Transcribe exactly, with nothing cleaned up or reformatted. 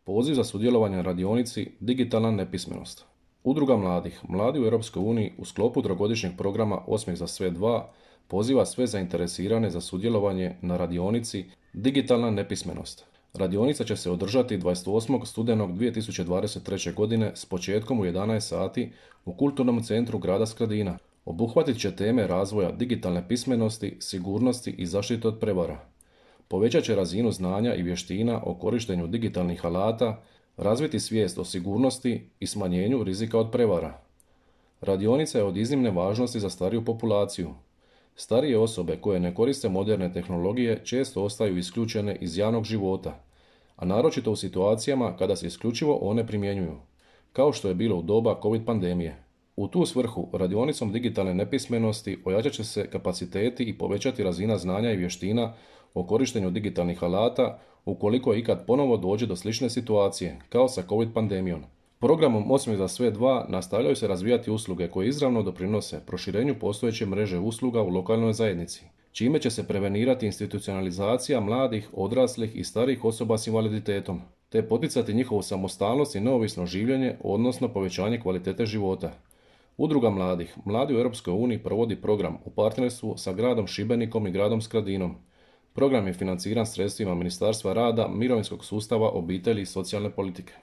Poziv za sudjelovanje na radionici Digitalna nepismenost. Udruga mladih, Mladi u Europskoj uniji u sklopu trogodišnjeg programa Osmijeh za sve dva poziva sve zainteresirane za sudjelovanje na radionici Digitalna nepismenost. Radionica će se održati dvadeset osmog studenog dvije tisuće dvadeset treće. godine s početkom u jedanaest sati u Kulturnom centru grada Skradina. Obuhvatit će teme razvoja digitalne pismenosti, sigurnosti i zaštite od prevara. Povećat će razinu znanja i vještina o korištenju digitalnih alata, razviti svijest o sigurnosti i smanjenju rizika od prevara. Radionica je od iznimne važnosti za stariju populaciju. Starije osobe koje ne koriste moderne tehnologije često ostaju isključene iz javnog života, a naročito u situacijama kada se isključivo one primjenjuju, kao što je bilo u doba COVID pandemije. U tu svrhu radionicom digitalne nepismenosti ojačat će se kapaciteti i povećati razina znanja i vještina o korištenju digitalnih alata ukoliko ikad ponovo dođe do slične situacije, kao sa COVID pandemijom. Programom Osmijeh za sve dva nastavljaju se razvijati usluge koje izravno doprinose proširenju postojeće mreže usluga u lokalnoj zajednici, čime će se prevenirati institucionalizacija mladih, odraslih i starijih osoba s invaliditetom, te poticati njihovu samostalnost i neovisno življenje, odnosno povećanje kvalitete života. Udruga mladih, Mladi u Europskoj uniji provodi program u partnerstvu sa gradom Šibenikom i gradom Skradinom. Program je financiran sredstvima Ministarstva rada, mirovinskog sustava, obitelji i socijalne politike.